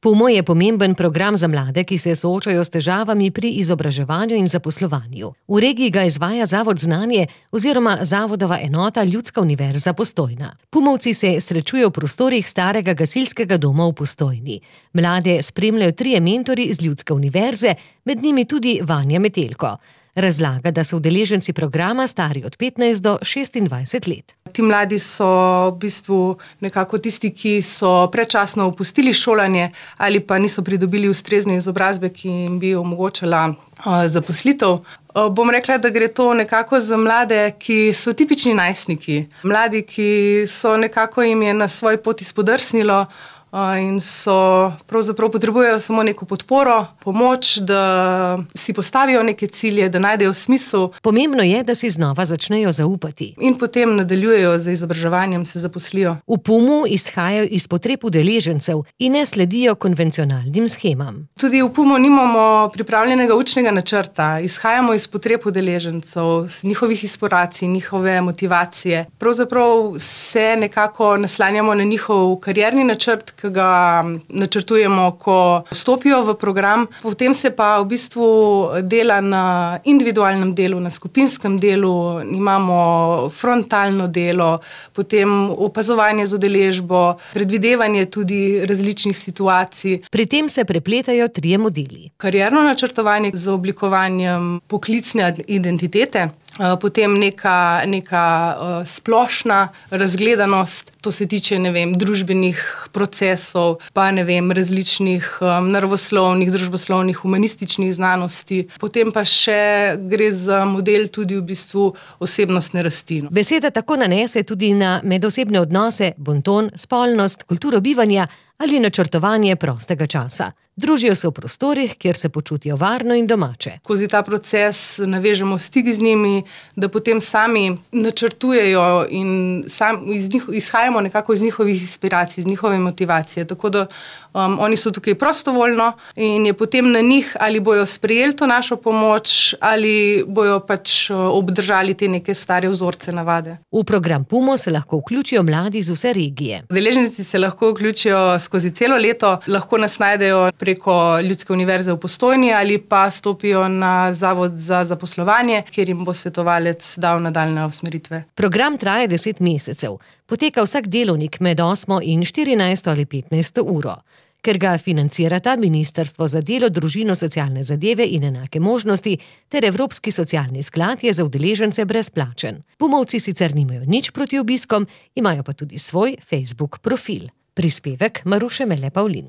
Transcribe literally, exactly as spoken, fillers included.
PUMO je pomemben program za mlade, ki se soočajo s težavami pri izobraževanju in zaposlovanju. V regiji ga izvaja Zavod Znanje oziroma Zavodova enota Ljudska univerza Postojna. Pumovci se srečujejo v prostorih starega gasilskega doma v Postojni. Mlade spremljajo trije mentori iz Ljudske univerze, med njimi tudi Vanja Metelko. Razlaga, da so udeleženci programa stari od petnajst do šestindvajset let. Ti mladi so v bistvu nekako tisti, ki so predčasno opustili šolanje ali pa niso pridobili ustrezne izobrazbe, ki jim bi omogočala uh, zaposlitev. Uh, bom rekla, da gre to nekako za mlade, ki so tipični najstniki. Mladi, ki so nekako jim je na svoji poti spodrsnilo in so pravzaprav potrebujejo samo neko podporo, pomoč, da si postavijo neke cilje, da najdejo smisel. Pomembno je, da si znova začnejo zaupati. In potem nadaljujejo z izobraževanjem, se zaposlijo. V PUMu izhajajo iz potreb udeležencev in ne sledijo konvencionalnim shemam. Tudi v PUMu nimamo pripravljenega učnega načrta. Izhajamo iz potreb udeležencev, z njihovih inspiracij, njihove motivacije. Pravzaprav se nekako naslanjamo na njihov karierni načrt, ki ga načrtujemo, ko vstopijo v program. Potem se pa v bistvu dela na individualnem delu, na skupinskem delu, imamo frontalno delo, potem opazovanje z udeležbo, predvidevanje tudi različnih situacij. Pri tem se prepletajo trije modeli. Karierno načrtovanje z oblikovanjem poklicne identitete, potem neka, neka uh, splošna razgledanost, to se tiče, ne vem, družbenih procesov, pa ne vem, različnih um, naravoslovnih, družboslovnih, humanističnih znanosti. Potem pa še gre za model tudi v bistvu osebnostne rasti. Beseda tako nanese tudi na medosebne odnose, bonton, spolnost, kulturo bivanja ali načrtovanje prostega časa. Družijo se v prostorih, kjer se počutijo varno in domače. Skozi ta proces navežemo stik z njimi, da potem sami načrtujejo in sam, iz njih, izhajamo nekako iz njihovih inspiracij, iz njihove motivacije. Tako da um, oni so tukaj prostovoljno in je potem na njih, ali bojo sprejeli to našo pomoč, ali bojo pač obdržali te neke stare vzorce, navade. V program PUMO se lahko vključijo mladi iz vse regije. Udeleženci se lahko vključijo skozi celo leto, lahko nas najdejo preko Ljudske univerze v Postojni ali pa stopijo na Zavod za zaposlovanje, kjer jim bo svetovalec dal nadaljnje usmeritve. Program traja deset mesecev. Poteka vsak delovnik med osmo in štirinajsto ali petnajsto uro. Ker ga financirata Ministrstvo za delo, družino, socialne zadeve in enake možnosti ter Evropski socialni sklad, je za udeležence brezplačen. Pumovci sicer nimajo nič proti obiskom, imajo pa tudi svoj Facebook profil. Prispevek Maruše Mele Pavlin.